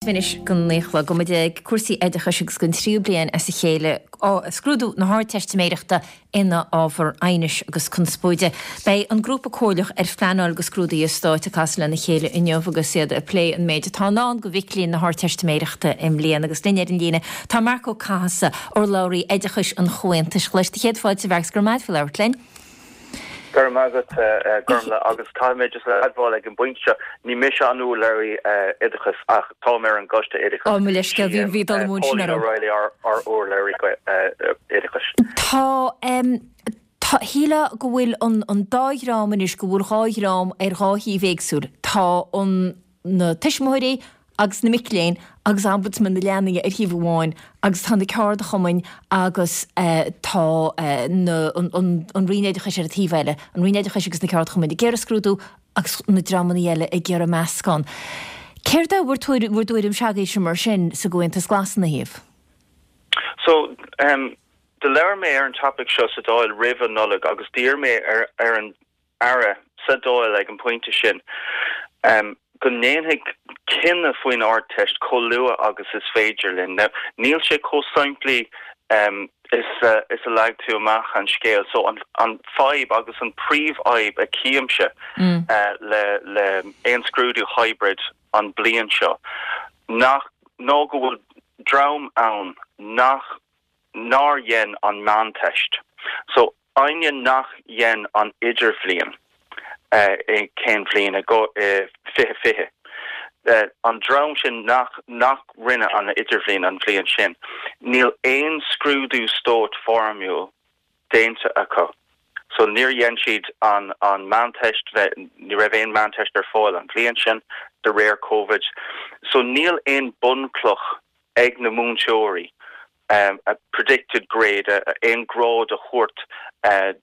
Anois go naoi a chlog, muid ag cúrsaí oideachais agus don tríú bliain as a chéile scrúdú na hArdteistiméireachta ina ábhar aighnis agus conspóide. Beidh an Grúpa Comhairleach ar Phleanáil do Scrúduithe Stáit ag casadh lena chéile inniu agus iad ag plé an méid atá i ndán do mhic léinn na hArdteistiméireachta i mbliana. Agus linn ar an líne tá Marc Ó Cathasaigh, urlabhraí oideachais an Chomhaontais Ghlais. Do chéad fáilte, a Mhairc, 's go raibh maith agat faoi labhairt linn. Go raibh maith agat, Gormlaith, agus caithfidh mé just a admháil ag an bpointe seo, ní mise an urlabhraí oideachais ach táim ar an gcoiste oideachais. Ó, mo leithscéal, bhí, bhí dul amú ansin orm. Pauline O'Reilly ár, ár urlabhraí oideachais. Tá, tá, shílfeá go bhfuil an, an dá dhream anois, go bhfuil dhá dhream ar dhá thaobh éagsúil. Tá an, na tuismitheoirí agus na mic léinn agus Ombudsman na Leanaí ar thaobh amháin agus tá na ceardchumainn agus tá na an Roinn Oideachais ar an taobh eile, an Roinn Oideachais agus na ceardchumainn ag iarraidh scrúdú agus na dreamanna eile ag iarraidh meascán. Céard é bhur bhur dtuairim s'agaibhse mar sin sa gComhaontas Glas ina thaobh? So, do labhair mé ar an topic seo sa Dáil roimh an Nollaig agus d'iarr mé ar ar an Aire sa Dáil ag an bpointe sin go ndéanfaidh cinneadh faoin Ardteist chomh luath agus is féidir linn. Now, níl sé chomh simplí is is a leag tú amach an scéal. So, an an fadhb agus an príomhfhadhb a chímse le le aon scrúdú hybrid an bliain seo nach ná go bhfuil dream ann nach nár dhein an Meánteist. So, éinne nach dhein an Idirbhliain i cén bhliain i 2020, an dream sin nach nach rinne an Idirbhliain an bhliain sin, níl aon scrúdú stáit foirmiúil déanta acu. So níor dhein siad an an Meánteist, ní raibh aon Meánteist ar fáil an bhliain sin de réir Covid. So níl aon bunchloch ag na múinteoirí a predicted grade, aon grád a thabhairt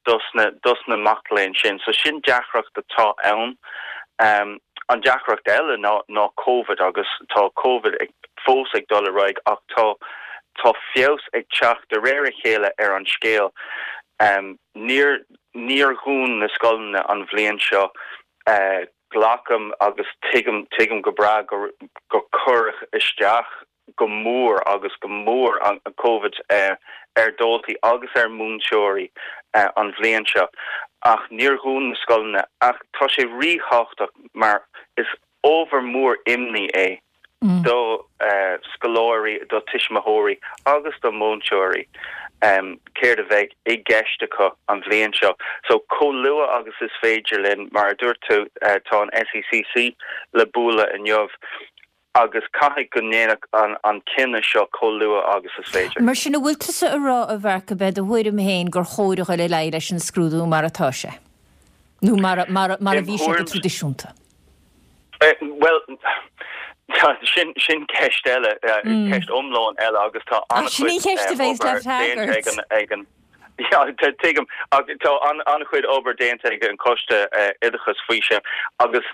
dos na dos na mac léinn sin. So sin deacracht atá ann. An deacracht eile ná ná Covid agus tá Covid ag fós ag dul ar aghaidh ach tá tá feabhas ag teacht de réir a chéile ar an scéal. Níor níor dhún na scoileanna an bhliain seo. Glacaim agus tuigim tuigim go breá gur gur cuireadh isteach go mór agus go mór an Covid ar dhaltaí agus ar mhúinteoirí an bhliain seo ach níor dhún na scoileanna ach tá sé ríthábhachtach mar is ábhar mór imní é do scoláirí, do tuismitheoirí agus do mhúinteoirí céard a bheidh i gceist acu an bhliain seo. So chomh luath agus is féidir linn, mar a dúirt tú, tá an SECC le bualadh inniu. agus caithfidh go ndéanfadh an cinneadh seo chomh luath agus is féidir. Mar sin, an bhfuil tusa a rá, a Mharc, gurb é do thuairim féin gur chóir a dhul ar aghaidh leis an scrúdú mar atá sé? Nó mar a, mar a, mar a bhí sé go traidisiúnta? Bhuel, sin, sin ceist eile, ceist iomlán eile agus tá an-chuid obair déanta ag an, ag an, Yeah, tuigim. Ach tá an-chuid obair déanta ag an Choiste Oideachais faoi sin agus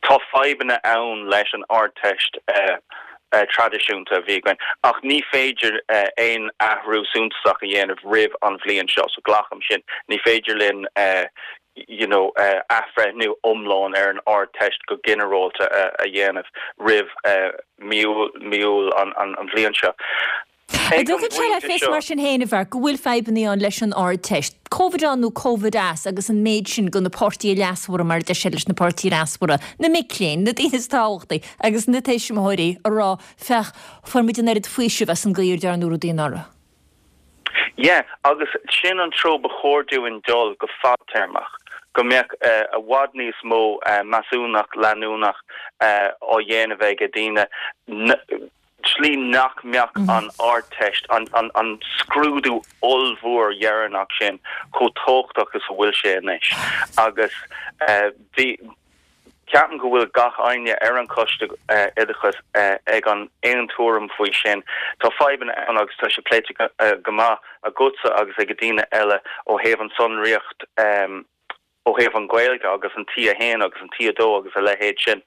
tá fadhbanna ann leis an Ardteist traidisiúnta a bhí againn. Ach ní féidir aon athrú suntasach a dhéanamh roimh an bhliain seo, so glacaim sin. Ní féidir linn you know athbhreithniú iomlán ar an Ardteist go ginearálta a dhéanamh roimh mí Iúil an bhliain seo. An dtugann sé le fios mar sin féin, a Mharc, go bhfuil fadhbanna ann leis an Ardteist, Covid ann nó Covid as, agus an méid sin de na páirtithe leasmhara, mar a deir sé leis na páirtithe leasmhara, na mic léinn, na daoine is tábhachtaí, agus na tuismitheoirí, a rá, féach, fuair muid an oiread faoisimh as an gcaoi ar dearnadh rudaí anuraidh. Yeah, agus sin an treo ba chóir dúinn dul go fadtéarmach, go mbeadh i bhfad níos mó measúnacht leanúnach á dhéanamh ag daoine, slí nach mbeadh an Ardteist, an scrúdú ollmhór dheireanach sin, chomh tábhachtach is a bhfuil sé anois. Agus bhí, ceapaim go bhfuil gach éinne ar an Choiste Oideachais ag an aon tuairim faoi sin. Tá fadhbanna ann agus tá sé pléite go maith agatsa agus ag daoine eile ó thaobh an tsonraíocht, ó thaobh an Ghaeilge agus an T1 agus an T2 agus a leithéid sin.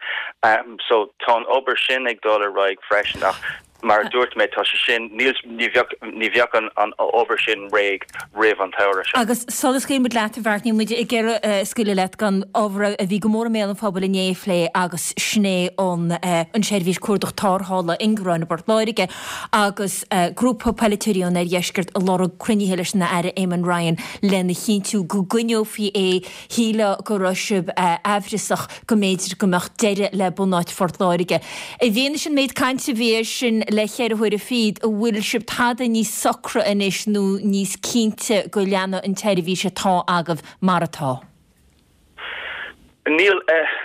So tá an obair sin ag dul ar aghaidh freisin ach. Mar a dúirt mé, tá sé sin, níl, ní bheadh, ní bheadh an, an obair sin réidh roimh an tsamhradh seo. Agus sula scaoilfidh muid leat, a Mharc, níl muid ag iarraidh scaoileadh leat gan ábhar a bhí go mór i mbéal an phobail inné a phlé agus sin é an, an tseirbhís cuardach tarrthála ingearáin i bPort Láirge agus grúpa polaiteoirí ón oirdheisceart ag lorg cruinnithe leis an Aire Eamon Ryan lena chinntiú go gcoinneofaí é. Shílfeá go raibh sibh aimhreasach go mb'fhéidir go mbeadh deireadh le bunáit Phort Láirge. I bhfianaise an méid cainte a bhí air sin le cheithre huaire fichead, an bhfuil sibh tada níos socra anois nó níos cinnte go leanfaidh an tseirbhís atá agaibh mar atá? Níl,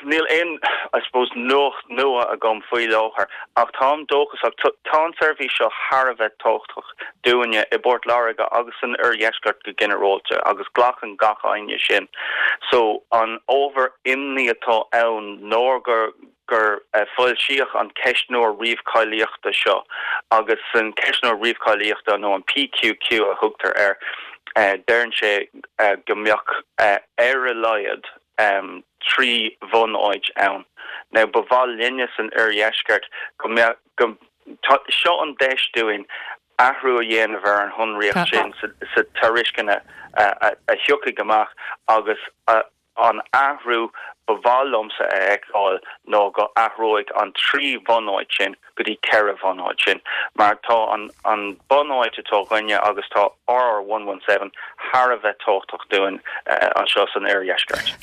níl aon, I suppose, nuacht nua agam faoi láthair ach táim dóchasach. Tá an tseirbhís seo thar a bheith tábhachtach dúinne i bPort Láirge agus san oirdheisceart go ginearálta agus glacann gach éinne sin. So an ábhar imní atá ann ná gur gur foilsíodh an ceistneoir ríomhcháilíochta seo agus san ceistneoir ríomhcháilíochta nó an PQQ a thugtar air deireann sé go mbeadh ar a laghad 3 bhunáit ann. Now ba mhaith linne san oirdheisceart go mbeadh go Tá seo an deis dúinn athrú a dhéanamh ar an shonraíocht sin sa tairisceana a thiocfaidh amach agus an athrú ba mhaith liomsa a fheiceáil ná go athróidh an 3 bhunáit sin go dtí 4 bhunáit sin mar tá an bunáit atá againne agus tá RR 117 thar a bheith tábhachtach dúinn anseo san oirdheisceart.